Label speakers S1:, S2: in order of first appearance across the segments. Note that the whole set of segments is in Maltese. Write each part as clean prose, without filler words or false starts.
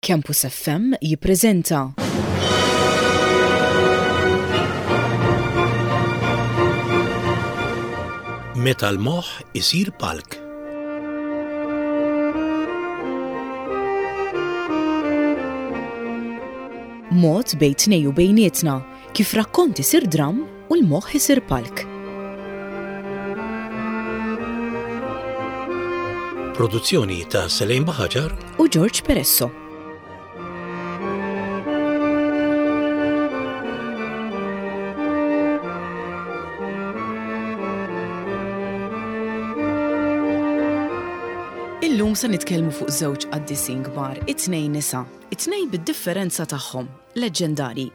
S1: Campus FM jippreżenta.
S2: Meta l-moħħ isir palk.
S1: Mod bejn tnej u bejnietna kif rakkont isir dramm u l-moħħ isir palk.
S2: Produzzjoni ta' Selejn Baħaġar
S1: u George Peresso. Illum se nitkellmu fuq żewġ qaddisin kbar, it-tnejn nisa, it-tnejn bid-differenza tagħhom. Leġġendarji.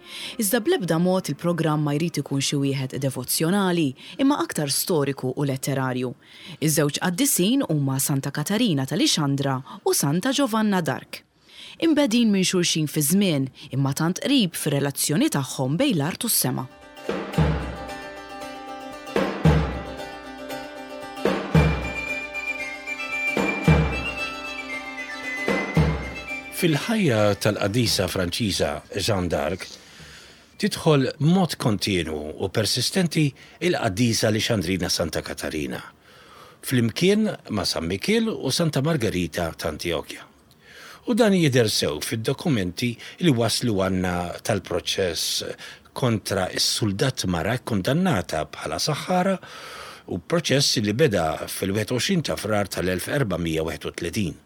S1: Iżda bl-ebda mod il-programm ma jrid ikun xi wieħed devozzjonali, imma aktar storiku u letterarju. Iż-żewġ qaddisin huma Santa Katarina ta' Lixandra u Santa Giovanna d'Arc. Imbegħdin minn xulxin fiż-żmien, imma tant qrib fir-relazzjoni tagħhom bejn l-art u s-sema.
S2: Fil-ħajja tal-qaddisa Franċiża Jeanne d'Arc tidħol b'mod kontinwu u persistenti l-qaddisa Lixandrina Santa Katarina, flimkien ma' San Mikiel u Santa Margerita ta' Antjokja. U dan jidher sew fid-dokumenti li waslu għandna tal-proċess kontra s-suldat mara kkundannata bħala saħħara u proċess li beda fil-21 ta' Frar tal-1431.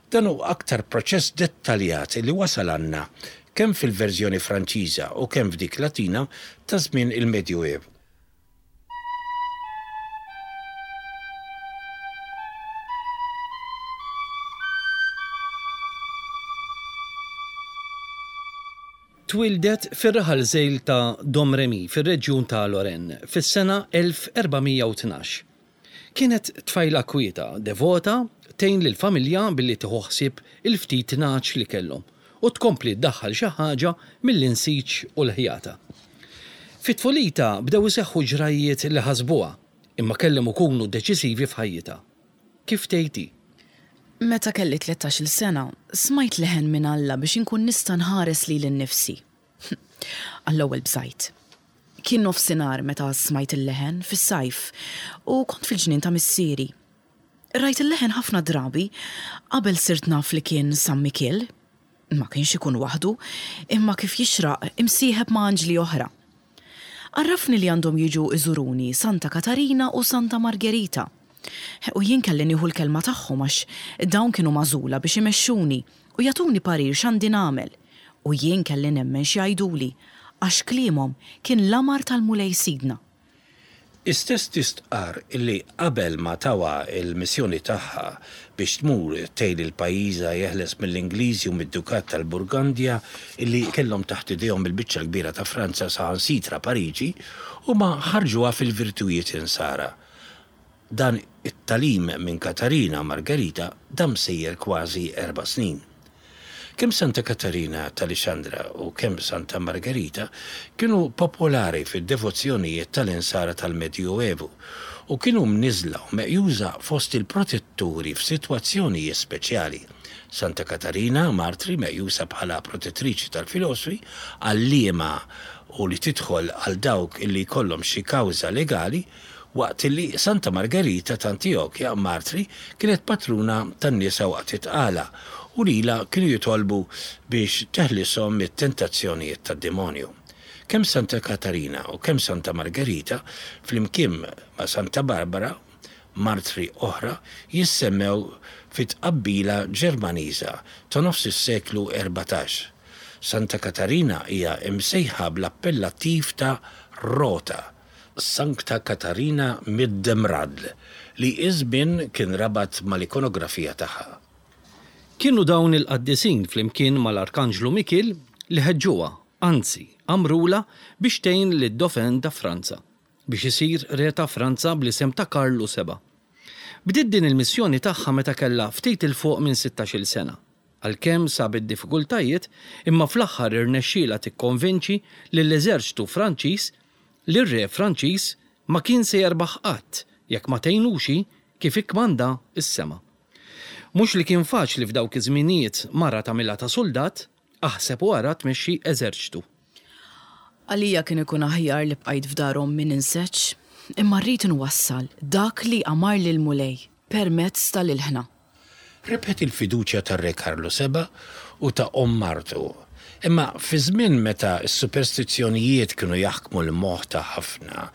S2: Dan hu aktar proċess dettaljat li wasal għandna kemm fil-verżjoni Franċiża u kemm f'dik Latina ta' żmien il-Medjuevu.
S3: Twieldet fir-raħal żgħir ta' Domremy fir-reġjun ta' Lorraine fis-sena 1412. Kienet tfajla kwieta, devota, tgħin lill-familja billi tieħu ħsieb il-ftit nagħaġ li kellhom u tkompli ddaħħal xi ħaġa mill-insiġ u l-ħjata. Fi tfulitha bdew iseħħu ġrajjiet li ħasbuha, imma kellhom ikunu deċisivi f'ħajjitha. Kif tgħid hi.
S1: Meta kelli tlettax-il sena, smajt leħen minn Alla biex inkun nista' nħares lili nnifsi. Għall-ewwel bżajt. Kien nofsinhar meta smajt il-leħen, fis-sajf, u kont fil-ġnien ta' missieri. Rajt il-leħen ħafna drabi qabel sirt naf li kien San Mikiel. Ma kienx ikun waħdu, imma kif jixraq imsieħeb ma' anġli oħra. Għarrafni li għandhom jiġu iżuruni Santa Katarina u Santa Margerita. U jien kelli nieħu l-kelma tagħhom għax dawn kienu magħżula biex imexxuni u jagħtuni parir x'għandi nagħmel. U jien kelli nemmen x'jgħiduli, għax kliemhom kien l-amar tal-Mulej Sidna.
S2: Hi stess tistqarr illi qabel ma tawha l-missjoni tagħha biex tmur tgħin lil pajjiżha jeħles mill-Ingliżi u mid-Dukat tal-Burgandja illi kellhom taħt idejhom il-biċċa l-kbira ta' Franza saħansitra Pariġi, huma ħarrġuha fil-virtujiet insara. Dan it-tagħlim minn Katarina Margerita dam sejjer kważi erba' snin. Kemm Santa Katarina ta' Lixandra u kemm Santa Margerita kienu popolari fid-devozzjonijiet tal-Insara tal-Medjuevu u kienu mniżżla u meqjusa fost il-protetturi f'sitwazzjonijiet speċjali. Santa Katarina, martri meqjusa bħala protettriċi tal-filosfi, għalliema u li tidħol għal dawk illi jkollhom xi kawża legali, waqt li Santa Margerita ta' Antijokja, martri, kienet patruna tan-nisa waqt it-tqala u lilha kienu jitolbu biex teħlishom mit-tentazzjonijiet tad-demonju. Kemm Santa Katarina u kemm Santa Margerita, flimkien ma' Santa Barbara, martri oħra, jissemmew fi tqabbila Ġermaniża ta' nofs is-seklu 14. Santa Katarina hija msejħa bl-appellattiv ta' Rota, Sancta Katharina mit dem Radl, li iż-żmien kien rabat mal-ikonografija tagħha.
S3: Kienu dawn il-qaddisin flimkien mal-Arkanġlu Mikiel li ħeġġuha, anzi, amrulha biex tgħin lid-Dauphin ta' Franza, biex isir Re ta' Franza bl-isem ta' Karlu Seba'. Bdiet din il-missjoni tagħha meta kellha ftit 'il fuq minn sittax-il sena. Għalkemm sabet diffikultajiet, imma fl-aħħar irnexxielha tikkonvinċi lill-eżerċtu Franċiż li r-re Franċiż ma kien se jerbaħ qatt jekk ma tgħinux hi kif ikkmanda s-sema. Mhux li kien faċli f'dawk iż-żminijiet mara tagħmilha ta' suldat, aħseb u ara tmexxi eżerċtu.
S1: Għalija kien ikun aħjar li bqajt f'dar ommi ninseġ, imma rrid inwassal dak li amarli l-Mulej permezz tal-ilħna.
S2: Rebħet il-fiduċja tar-Re Karlu Seba' u ta' omm martu. Imma fi żmien meta s-superstizzjonijiet kienu jaħkmu l-moħħ ta' ħafna,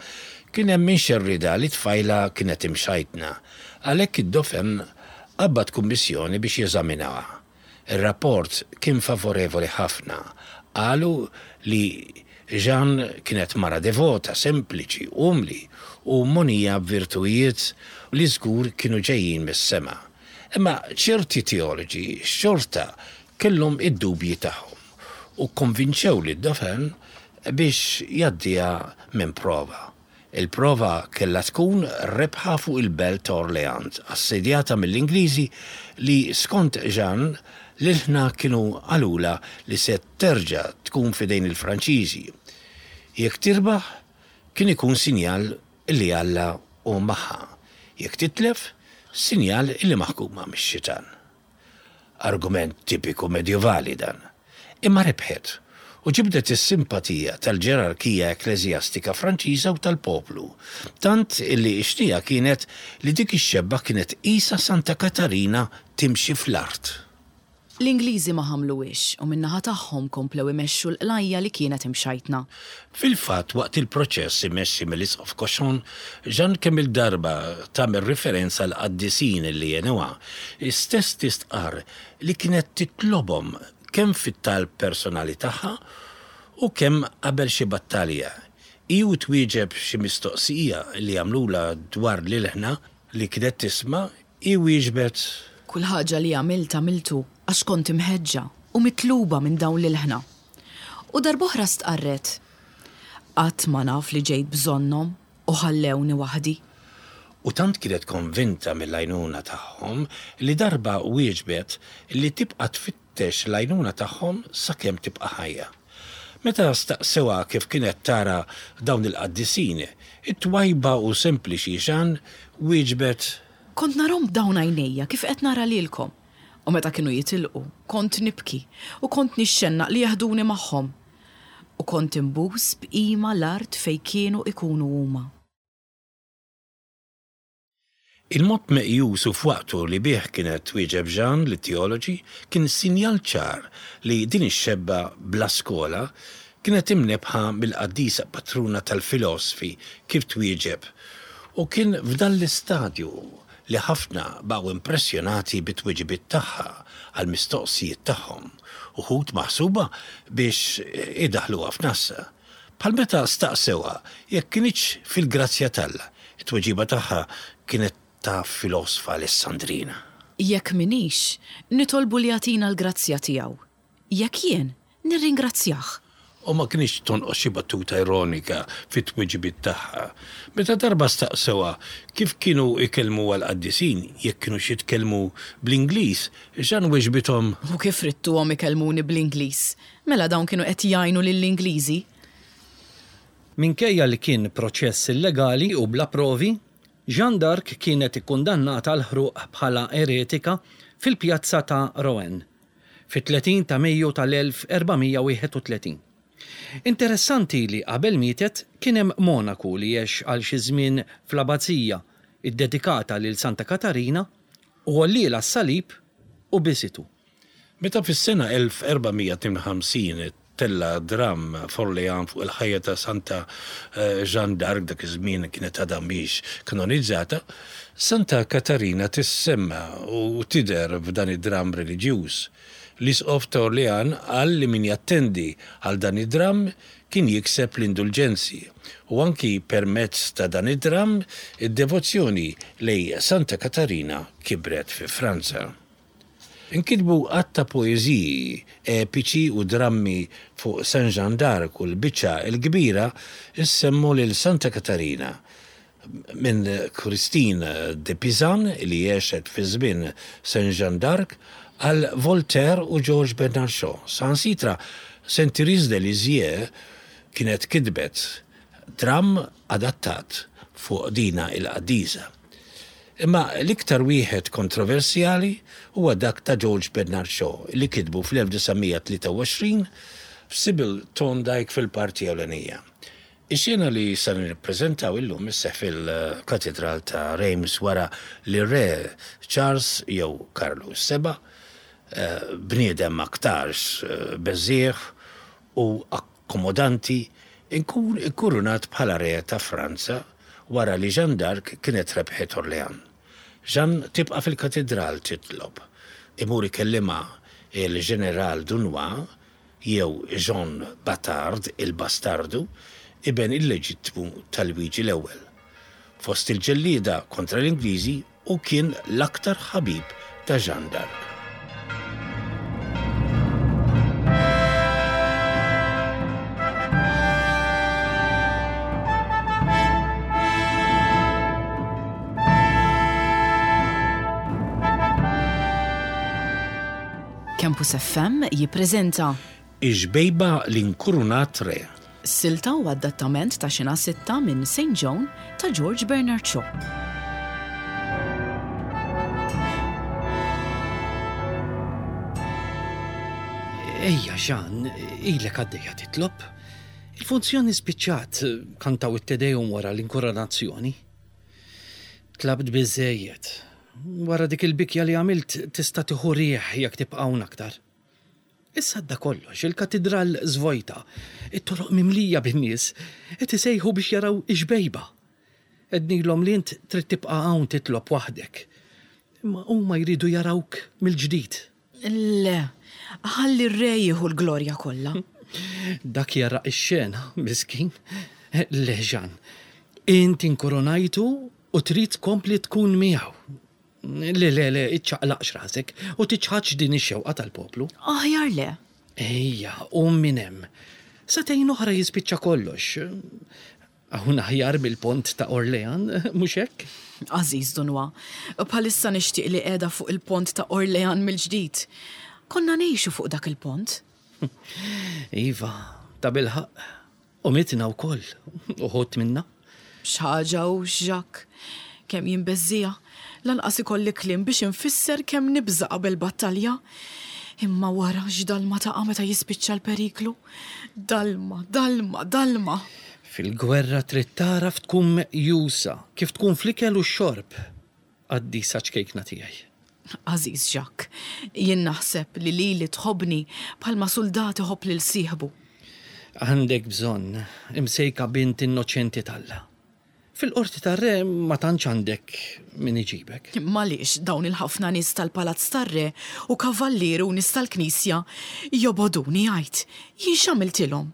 S2: kien hemm min xerridha li t-tfajla kienet imxajtna. Għalhekk id-Dauphin qabbad kummissjoni biex jeżaminawha. Ir-rapport kien favorevoli ħafna. Qalu li Jeanne kienet mara devota, sempliċi, umli u mogħnija b'virtujiet li żgur kienu ġejjin mis-sema. Imma ċerti teoloġi xorta kellhom id-dubji tagħhom u kkonvinċew lid-Dauphin biex jgħaddiha minn prova. Il-prova kellha tkun rebħa fuq il-belt ta' Orléans, assedjata mill-Ingliżi li, skont Jeanne, l-ilħna kienu qalulha li se terġa' tkun f'idejn il-Franċiżi. Jekk tirbaħ, kien ikun sinjal li Alla hu magħha. Jekk titlef, sinjal li maħkuma mix-xitan. Argument tipiku medjuvali dan. Imma rebħet, u ġibdet is-simpatija tal-ġerarkija ekkleżjastika Franċiża u tal-poplu, tant illi x-xnigħa kienet li dik ix-xebba kienet qisha Santa Katarina timxi fl-art.
S1: L-Ingliżi ma ħamluhiex u min-naħa tagħhom komplew imexxu l-qlajja li kienet imxajtna.
S2: Fil-fatt, waqt il-proċess immexxi mill-Isqof Cauchon, Jeanne kemm-il darba tagħmel riferenza għall-qaddisin li għenuha, hi stess tistqarr li kienet titlobhom kemm fit-talb personali tagħha u kemm qabel xi battalja. Hi u twieġeb xi mistoqsija li għamlulha dwar l-ilħna li kienet tisma', hi wieġbet.
S1: Kull ħaġa li għamilt għamiltu għax kont imħeġġa u mitluba minn dawn l-ilħna. U darb'oħra stqarret, Qatt ma naf li ġejt bżonnhom u ħallewni waħdi.
S2: U tant kienet konvinta mill-għajnuna tagħhom li darba wieġbet li tibqa' tfittex l-għajnuna tagħhom sakemm tibqa' ħajja. Meta staqsewha kif kienet tara dawn il-qaddisin, it-twajba u sempliċi Jeanne wieġbet.
S1: Kont narhom b'dawn għajnejja kif qed nara lilkom. U meta kienu jitilqu, kont nibki u kont nixxennaq li jeħduni magħhom. U kont inbus b'qima l-art fejn kienu ikunu huma.
S2: Il-mod meqjus u f'waqtu li bih kienet twieġeb Jeanne lit-teoloġi kien sinjal ċar li din ix-xebba bla skola kienet imnebbħa mill-qaddisa patruna tal-filosfi kif twieġeb u kien f'dan l-istadju li ħafna baqgħu impressjonati bit-tweġibiet tagħha għall-mistoqsijiet tagħhom, uħud maħsuba biex idaħħluha f'nassa. Bħal meta staqsewha jekk kinitx fil-grazzja t'Alla, it-tweġiba tagħha kienet ta' filosfa Alessandrina.
S1: Jekk m'iniex, nitolbu li jagħtina l-grazzja tiegħu. Jekk jien, nirringrazzjah.
S2: U ma kinitx tonqos xi battuta ironika fit-tweġibiet tagħha. Meta darba staqsewha kif kienu jkellmuha l-qaddisin, jekk kinux jitkellmu bl-Ingliż, Jeanne weġbithom.
S1: U kif ridtuhom ikellmuni bl-Ingliż? Mela dawn kienu qed jgħinu lill-Ingliżi?
S3: Minkejja li kien proċess illegali u bla provi, Jeanne d'Arc kienet ikkundannata għall-ħruq bħala eretika fil-pjazza ta' Rouen. fit-30 ta' Mejju tal-1431. Interessanti li qabel mietet kien hemm monaku li għex għal xi żmien fl-abazija ddedikata lil Santa Katarina u għollielha s-salib u bisitu.
S2: Meta fis-sena 1452 tella' dramm f'Orléans fuq il-ħajja ta' Santa Jeanne d'Arc, dak iż-żmien kienet għadha mhix kanonizzata, Santa Katarina tissemma u tidher f'dan id-dramm reliġjuż. L-Isqof ta' Orléans qal li min jattendi għal dan id-dramm kien jikseb l-indulġenzi u anki permezz ta' dan id-dramm id-devozzjoni lejn Santa Katarina kibret fi Franza. Inkitbu għadd ta' poeżiji, epiċi u drammi fuq Saint Jeanne d'Arc u l-biċċa l-kbira ssemmu lil Santa Katarina minn Christine de Pizan li għexet fi żmien Saint Jeanne d'Arc għal Voltaire u George Bernard Shaw. Saħansitra Saint Thérèse de Lisieux kienet kitbet dramm adattat fuq dina il-qaddisa. Imma l-iktar wieħed kontroversjali huwa dak ta' George Bernard Shaw li kitbu fl-1923 b'Sybil Thorndike fil-parti ewlenija. Ix-xena li se nippreżentaw illum isseħħ fil-Katidral ta' Reims wara li r-Re Charles jew Karlu s-Seba', bniedem aktarx beżżiegħ u akkomodanti, inkun ikkurunat bħala Re ta' Franza wara li Jeanne d'Arc kienet rebħet Orléans. Jeanne tibqa' fil-katidral titlob. Imur ikellimha il-Ġeneral Dunois jew Jean Batard, il-Bastardu, iben illeġittmu ta' Lwiġi l-Ewwel. Fost il-ġellieda kontra l-Ingliżi hu kien l-aktar ħabib ta' Jeanne d'Arc.
S1: Campus FM jippreżenta.
S2: Ix-xbejba li nkurunat re.
S1: Silta u adattament ta' Xena Sitta minn Saint Joan ta' George Bernard Shaw.
S3: Ejja, Jean, ilek għaddejja titlob. Il-funzjoni spiċċat, kantaw it-Te Deum wara l-inkoronazzjoni. Tlabt biżżejjed. Wara dik il-bikja li għamilt tista' tieħu riħ jekk tibqa' hawn aktar. Issa għadda kollox, il-katidral żvojta, it-toroq mimlija bin-nies, qed isejħu biex jaraw ix-xbejba. Għednilhom li int trid tibqa' hawn titlob waħdek. Imma huma jridu jarawk mill-ġdid.
S1: Le, ħalli r-re jieħu l-glorja kollha.
S3: Dak jara x-xena, miskin. Le, Jean, int inkurunajtu u trid tkompli tkun miegħu. Le, le, le, iċċaqlaqx rasek u tiċħadx din ix-xewqa tal-poplu.
S1: Aħjar le.
S3: Ejja, qum minn hemm. Sagħtejn oħra jispiċċa kollox. Hawn aħjar mill-pont ta' Orléans, mhux hekk?
S1: Għażiż Dunois, bħalissa nixtieq li qiegħda fuq il-pont ta' Orléans mill-ġdid. Konna ngħixu fuq dak il-pont.
S3: Iva, tabilħaqq. U mitna wkoll, uħud minna.
S1: X'ħaġa hux, Jacques. Kemm jien beżżiegħa. Lanqas ikolli kliem biex infisser kemm nibża' qabel battalja. Imma wara x'dalma taqa' meta jispiċċa l-periklu. Dalma, dalma, dalma!
S3: Fil-gwerra trid tagħraf tkun meqjusa kif tkun fl-ikel u x-xorb, qaddisa ċkejkna tiegħi.
S1: Għażiż Jacques, jien naħseb li lili tħobbni bħalma suldat iħobb lil sieħbu.
S3: Għandek bżonn, imsejka bint innoċenti t'Alla. Fil-qorti tar-re ma tantx għandek min iġibek.
S1: Imma għaliex dawn il-ħafna nies tal-palazz tar-re u kavallieri u nies tal-knisja jobogħduni għid? Jien x'għamiltilhom?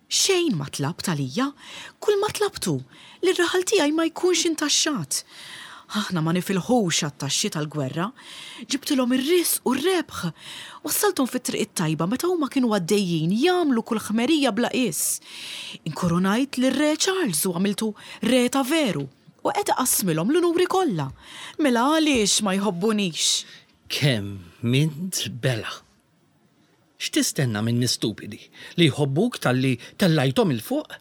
S1: Xejn ma tlabt għalija, kulma tlabt hu li r-raħal tiegħi ma jkunx intaxxat. Aħna ma nifilħux għat-taxxi tal-gwerra. Ġibtilhom ir-riżq u r-rebħ. Wassalthom fit-triq it-tajba meta huma kienu għaddejjin jagħmlu kull ħmerija bla qies. Inkurunajt lir-Re Charles u għamiltu Re ta' veru, u qed iqassmilhom l-unuri kollha. Mela għaliex ma jħobbunix?
S3: Kemm int belha! X'tistenna minn nies stupidi, li jħobbuk talli tellajthom 'il fuq?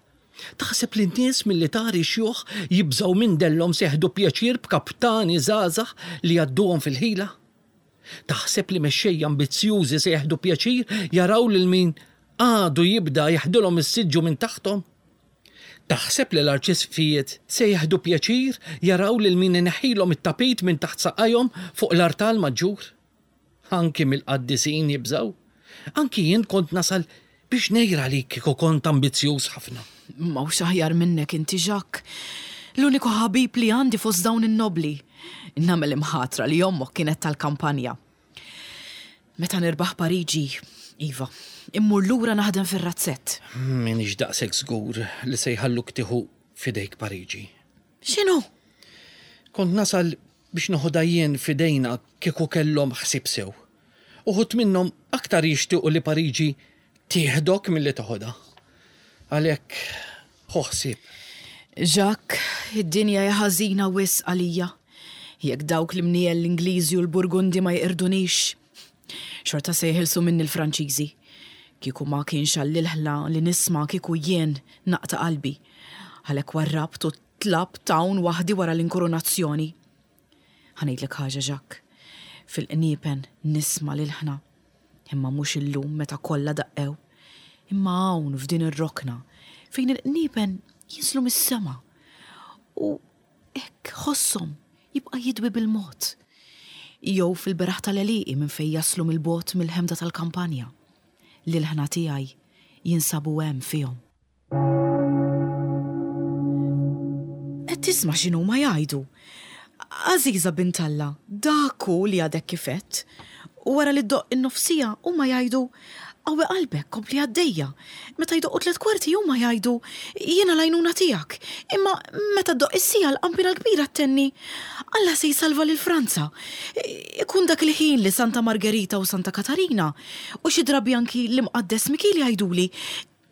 S3: Taħseb li n-nies militari xjuħ jibżgħu minn dellhom se jeħdu pjaċir b'kaptani żgħażagħ li jgħadduhom fil-ħila? Taħseb li mexxejja ambizzjużi se jeħdu pjaċir jaraw lil min għadu jibda jeħdilhom is-siġġu minn taħthom? Taħseb li l-arċisqfijiet se jeħdu pjaċir jaraw lil min ineħħilhom it-tapit minn taħt saqajhom fuq l-artal maġġur? Anki mill-qaddisin jibżgħu. Anki jien kont nasal biex ngħir għalik kieku kont ambizzjuż ħafna.
S1: M'hawnx aħjar minnek inti, Jacques. L-uniku ħabib li għandi fost dawn in-nobbli. Nagħmel imħatra li ommok kienet tal-kampanja. Meta nirbaħ Pariġi, iva, immur lura naħdem fir-razzett.
S3: M'iniex daqshekk żgur li se jħalluk tieħu f'idejk Pariġi.
S1: X'inhu?
S3: Kont nasal biex noħodha jien f'idejna kieku kellhom ħsieb sew. Uħud minnhom aktar jixtiequ li Pariġi tieħdok milli toħodha. Għalhekk, ħu ħsieb.
S1: Jacques, id-dinja hija ħażina wisq għalija. Jekk dawk l-imniegħel l-Ingliżi u l-Burgundi ma jeqirdunix, xorta se jeħilsu minni l-Franċiżi. Kieku ma kienx għall-ilħla li nisma' kieku jien naqta' qalbi. Għalhekk warrabt u Tlabt hawn waħdi wara l-inkurunazzjoni. Ħa ngħidlek ħaġa, Jacques. Fil-qniepen nisma' l-ilħna. Imma mhux illum meta kollha daqqew. Imma hawn f'din ir-rokna fejn il-qniepen jinżlu mis-sema. U hekk ħosshom jibqa' jidwi bil-mod. Jew fil-beraħ tal-għelieqi minn fejn jaslu mill-bogħod mill-ħemda tal-kampanja. L-ilħna tiegħi jinsabu hemm fihom. Qed tisma' x'inhuma jgħidu? Għażiża bint Alla, dak hu li għadek kif għedt. U wara li ddoqq in-nofsija, huma jgħidu, Qawwi qalbek, kompli għaddejja. Meta jdoqqu tlett kwarti huma jgħidu, Jiena l-għajnuna tiegħek. Imma meta ddoqq is-siegħa l-qanpiena l-kbira ttenni, Alla se jsalva lil Franza. Ikun dak il-ħin li Santa Margerita u Santa Katarina, u xi drabi anki l-Imqaddes Mikiel jgħiduli,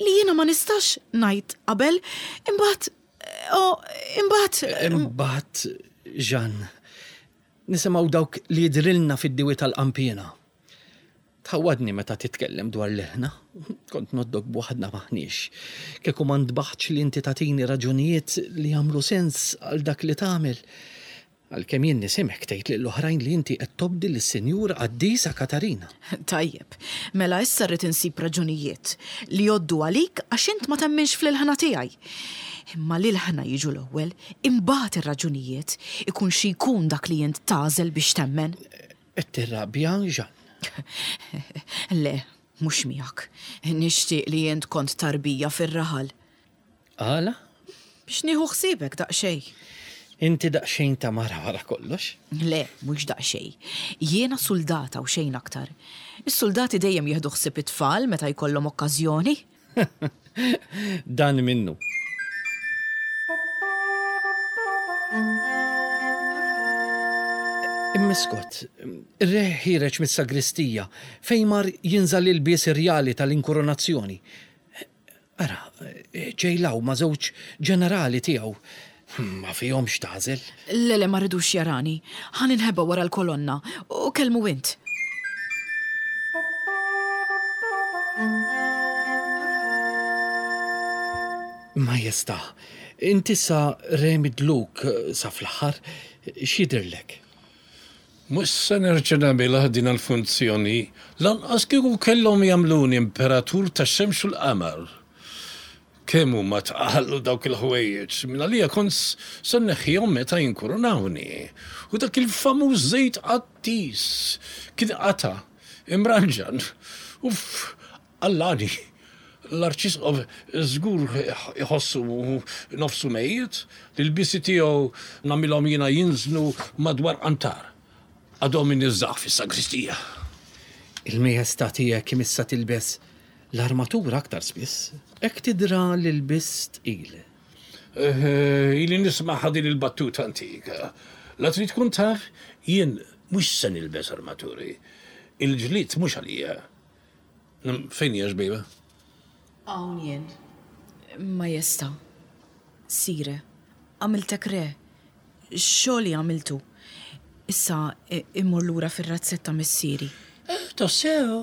S1: Li jiena ma nistax ngħid qabel, imbagħad, oh, imbagħad.
S3: Imbagħad, Jeanne, nisimgħu dawk li jidhrilna fid-diwi tal-qanpiena. Tħawwadni meta titkellem dwar l-ilħna. Kont ngħoddok b'waħdna m'aħniex. Kieku ma ntbaħtx li inti tagħtini raġunijiet li jagħmlu sens għal dak li tagħmel. Għalkemm jien nisimgħek tgħid lil oħrajn li inti qed tobdi lis-Sinjura Qaddisa Katarina.
S1: Tajjeb, mela issa rrid insib raġunijiet li jgħoddu għalik għax int ma temminx fl-ilħna tiegħi. Imma l-ilħna jiġu l-ewwel, imbagħad ir-raġunijiet, ikun xi jkun dak li int tagħżel biex temmen.
S3: Qed tirrabja, Jeanne?
S1: Le, mhux miegħek. Nixtieq li int kont tarbija fir-raħal.
S3: Għala?
S1: Biex nieħu ħsiebek daqsxejn.
S3: Inti daqsxejn ta' mara wara kollox.
S1: Le, mhux daqsxejn. Jiena suldata u xejn aktar. Is-suldati dejjem jieħdu ħsieb it-tfal meta jkollhom okkażjoni.
S3: Dan minnu. Imma Scott, ir-re ħiereġ mis-sagristija fejn mar jinża' l-ilbies irjali tal-inkurunazzjoni. Ara, ġej 'l hawn ma' żewġ ġenerali tiegħu. Ma fihomx tagħżel.
S1: Le, le, ma rridux jarani. Ħa ninħeba wara l-kolonna u kellmu int.
S3: Majestà, int issa re midluk sa fl-aħħar, x'jidhirlek?
S2: Mhux se nerġa' nagħmilha din il-funzjoni, lanqas kieku kellhom jagħmluni imperatur tax-xemx u l-qamar. Kemm huma tqal dawk il-ħwejjeġ, mingħalija kont se nneħħihom meta jinkurunawni. U dak il-famuż żejt qaddis kien qata' imranġan. Uff, Allani, l-Arċisqof żgur iħossu nofsu mejjet, l-ilbiesi tiegħu nagħmilhom jiena jinżlu madwar qantar. Għadhom iniżżagħ fis-sagristija.
S3: Il-Majestà tiegħek imissha tilbes l-armatura aktar spiss, hekk tidra l-ilbies tqil.
S2: Ili nismagħha din il-battuta antika. La trid tkun taf, jien mhux se nilbes armaturi. Il-ġlied mhux għalija. Fejn hija xbejba?
S1: Hawn jien, Majestà. Sire, għamiltek re. Xogħli għamiltu. Issa immur lura fir-razzett ta' missieri.
S2: Eh, tassew,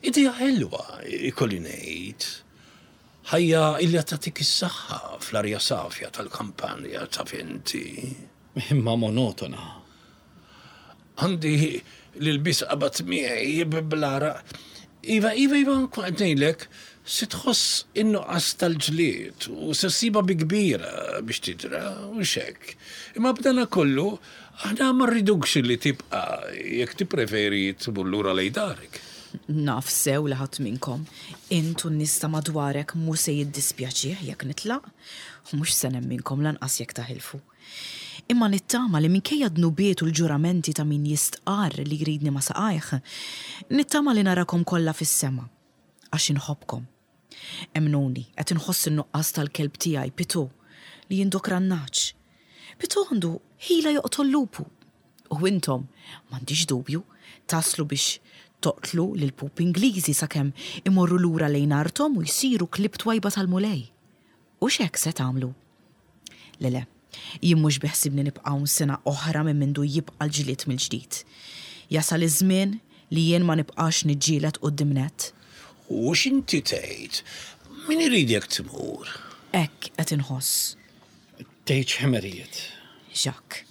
S2: idea ħelwa, ikolli ngħid. Ħajja illi tagħtik is-saħħa fl-arja safja tal-kampanja taf inti.
S3: Imma monotona.
S2: Għandi l-ilbies qabad miegħi bl-għaraq. Iva, iva, iva, kont qed ngħidlek, se tħoss in-nuqqas tal-ġlied u se ssibha bi kbira biex tidra, hux hekk? Imma b'dana kollu, aħna ma rridukx li tibqa' jekk tippreferi tmur lura lejn darek.
S1: Naf sew li ħadd minnkom, int u n-nies ta' madwarek mhu se jiddispjaċih jekk nitlaq, u mhux se nemminkom lanqas jekk taħilfu. Imma nittama li minkejja d-dnubiet u l-ġuramenti ta' min jistqarr li jridni ma' saqajh, nittama li narakom kollha fis-sema, għax inħobbkom. Emmnuni, qed inħoss in-nuqqas tal-kelb tiegħi, Pitù, li jindokra n-nagħaġ. Pitù għandu ħila joqtol lupu. U intom, m'għandix dubju, taslu biex toqtlu lill-pupi Ingliżi sakemm imorru lura lejn arthom u jsiru klieb twajba tal-Mulej. Hux hekk se tagħmlu? Le, le, jien mhux biħsibni nibqa' hawn sena oħra minn mindu jibqa' l-ġlied mill-ġdid. Jasal iż-żmien li jien ma nibqax niġġieled quddiem nett.
S2: U x'inti tgħid? Min iridek tmur?
S1: Hekk qed inħoss.
S3: Tgħidx ħmerijiet.
S1: Jacques.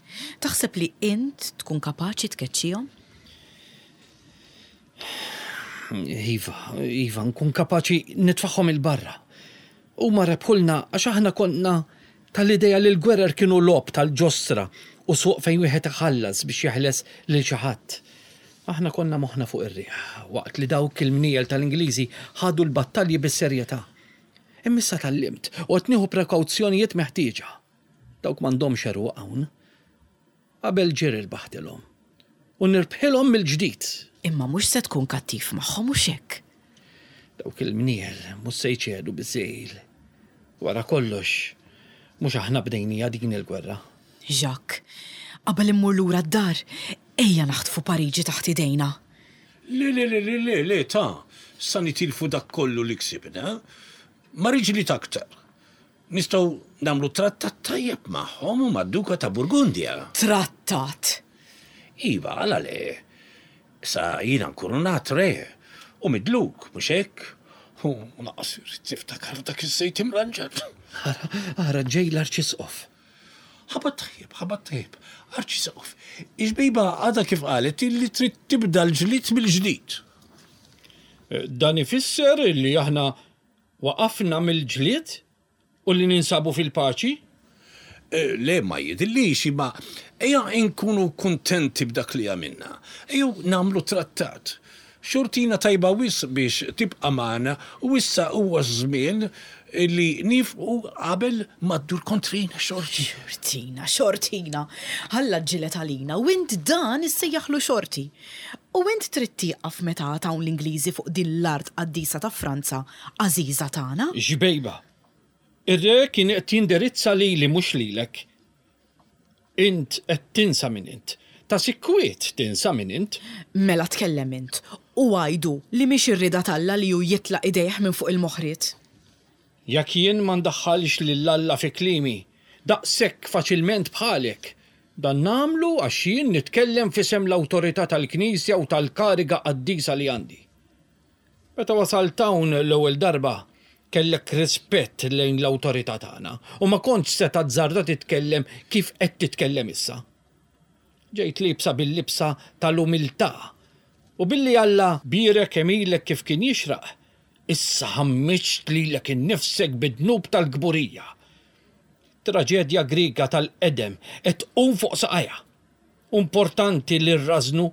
S1: Taħseb li int tkun kapaċi tkeċċihom?
S3: Iva, iva, nkun kapaċi nitfagħhom 'il barra. Huma rebħulna għax aħna konna tal-idea li l-gwerer kienu logħob tal-ġostra u suq fejn wieħed iħallas biex jeħles lil xi ħadd. Aħna konna moħħna fuq ir-riħ, waqt li dawk il-mniegħel tal-Ingliżi ħadu l-battalji bis-serjetà. Imma issa tgħallimt u qed nieħu prekawzjonijiet meħtieġa. Dawk m'għandhomx għeruq hawn. Qabel ġieli rbaħtilhom. U nirbħilhom mill-ġdid.
S1: Imma mhux se tkun kattiv magħhom hux hekk?
S3: Dawk il-mniel mhux se jċedu biż-żegħil. Wara kollox, mhux aħna bdejniha din il-gwerra.
S1: Jacques, qabel immur lura d-dar, ejja naħtfu Pariġi taħt idejna.
S2: Le, le, le, le, le, le, ta, sa nitilfu dak kollu li ksibna. Ma rridx ġlied aktar. Nistgħu nagħmlu trattat tajjeb magħhom u mad-Duka ta' Burgundja.
S1: Trattat?
S2: Iva, għala le? Issa jiena nkurunat re u midluk, mhux hekk? U lanqas irrid niftakar f'dak iż-żejt imranġat.
S3: Ara, ara ġej l-Arċisqof.
S2: Ħabat tajjeb, ħabat tajjeb. Arċisqof, ix-xbejba għadha kif qalet illi trid tibda l-ġlied mill-ġdid.
S3: Dan ifisser illi aħna Waqafna mill-ġlied u li ninsabu fil-paċi?
S2: Le, ma jidhirlix, imma ejja nkunu kuntenti b'dak li għamilna. Ejjew nagħmlu trattat. Xortina tajba wisq biex tibqa' magħna u issa huwa ż-żmien li niefqu qabel ma ddur kontrina xorti.
S1: Xortina, xortina! Alla ġġieled għalina u int dan issejjaħlu xorti! U int trid tieqaf meta għad hawn l-Ingliżi fuq din l-art qaddisa ta' Franza għażiża tagħna?
S3: Xbejba! Ir-re kien qed jindirizza lili mhux lilek. Int qed tinsa min int. Ta' sikwit tinsa min int.
S1: Mela tkellem int u għidu li mhix ir-rieda t'Alla li hu jitlaq idejh minn fuq il-moħriet.
S3: Jekk jien ma ndaħħalx lil Alla fi kliemi daqshekk faċilment bħalek, dan nagħmlu għax jien nitkellem f'isem l-awtorità tal-Knisja u tal-kariga qaddisa li għandi. Meta wasalt hawn l-ewwel darba, kellek rispett lejn l-awtorità tagħna u ma kontx se tazzarda titkellem kif qed titkellem issa. Ġejt liebsa bil-libsa tal-umiltà, u billi Alla bierek għemilek kif kien jixraq, issa ħammiġt lilek innifsek bid-dnub tal-kburija. Traġedja Griega tal-qedem qed tqum fuq saqajha. Hu importanti li rrażżnu,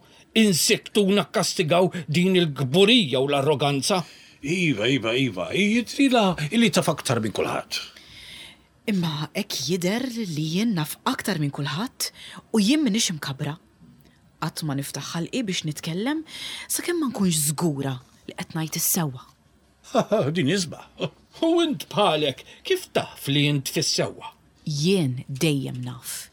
S3: insikktu u nakkastigaw din il-kburija u l-arroganza.
S2: Iva, iva, iva, jidhrilha li taf aktar minn kulħadd.
S1: Imma hekk jidher li jien naf aktar minn kulħadd u jien m'iniex imkabbra. Qatt ma niftaħ ħalqi biex nitkellem sakemm ma nkunx żgura li qed ngħid is-sewwa.
S2: Din isbaħ.
S3: U int bħalek kif taf li int fis-sewwa?
S1: Jien dejjem naf.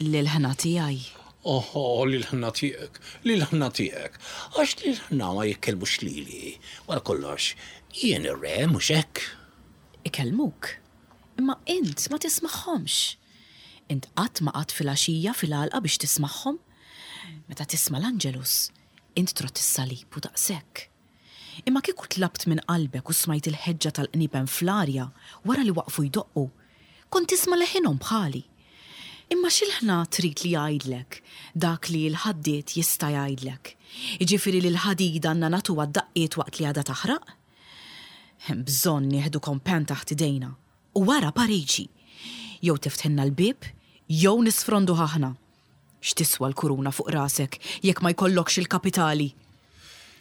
S1: L-ilħna tiegħi.
S2: Oħo, l-ilħna tiegħek, l-ilħna tiegħek. Għax l-ilħna ma jitkellmux lili. Wara kollox, jien ir-re, mhux hekk?
S1: Ikellmuk. Imma int ma tismagħhomx. Int qatt ma qgħadt filgħaxija fil-għalqa biex tismagħhom. Meta tisma' l-Angelus, int trott is-salib u daqshekk. Imma kieku tlabt minn qalbek u smajt il-ħeġġa tal-qniepen fl-arja wara li waqfu jdoqqu, kont tisma' leħinhom bħali. Imma x'ilħna trid li jgħidlek dak li l-ħaddied jista' jgħidlek? Jiġifieri li l-ħadid għandna nagħtuha d-daqqiet waqt li għadha taħraq? Hemm bżonn nieħdu kompan taħt idejna u wara Pariġi. Jew tiftħilna l-bieb jew nisfronduh aħna. X'tiswa l-kuruna fuq rasek jekk ma jkollokx il-kapitali?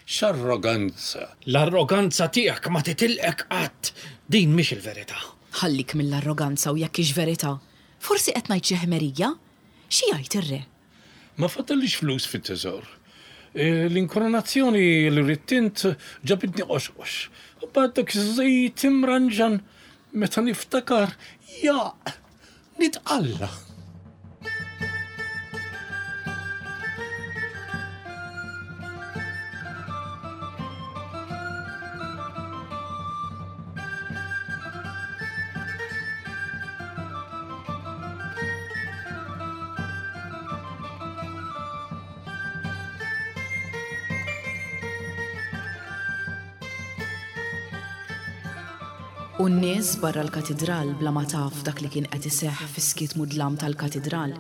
S2: X'arroganza!
S3: L-arroganza tiegħek ma titilqek qatt! Din mhix il-verità.
S1: Ħallik mill-arroganza u jekk hix verità. Forsi qed ngħid xi ħmerija? Xi jgħid ir-re?
S2: Ma fadallix flus fit-teżor. L-inkoronazzjoni li ridt int ġabitni qoxqox. U mbagħad dak iż-żejt imranġan meta niftakar, jaqq! Nitqalla'!
S1: U n-nies barra l-katidral bla ma taf dak li kien qed iseħħ fis-skiet mudlam tal-katidral.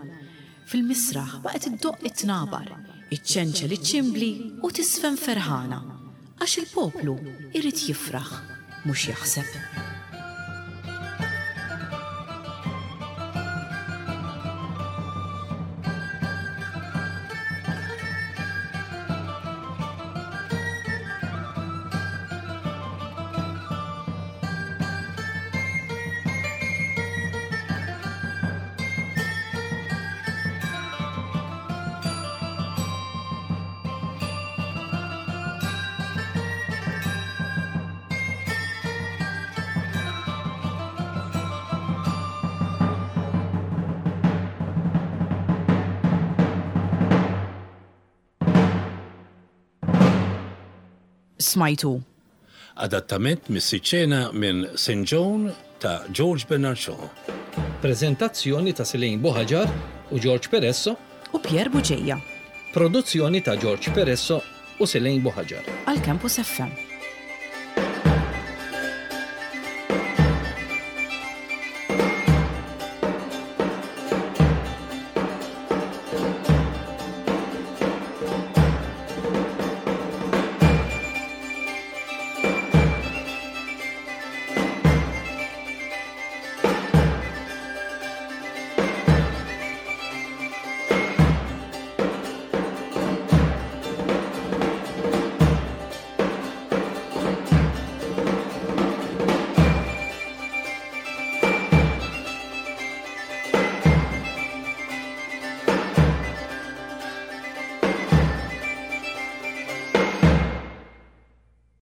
S1: Fil-misraħ baqgħet iddoqq it-tnabar, iċċenċel iċ-ċimbli u tiżfen ferħana, għax il-poplu jrid jifraħ, mhux jaħseb. Smajtu.
S2: Adattament mis-siċċena minn St. Joan ta' George Bernard Shaw.
S3: Preżentazzjoni ta' Selene Buhaġar u George Peresso.
S1: U Pierre Bugeja.
S3: Produzzjoni ta' George Peresso u Selene Buhaġar.
S1: Għal Campus FM.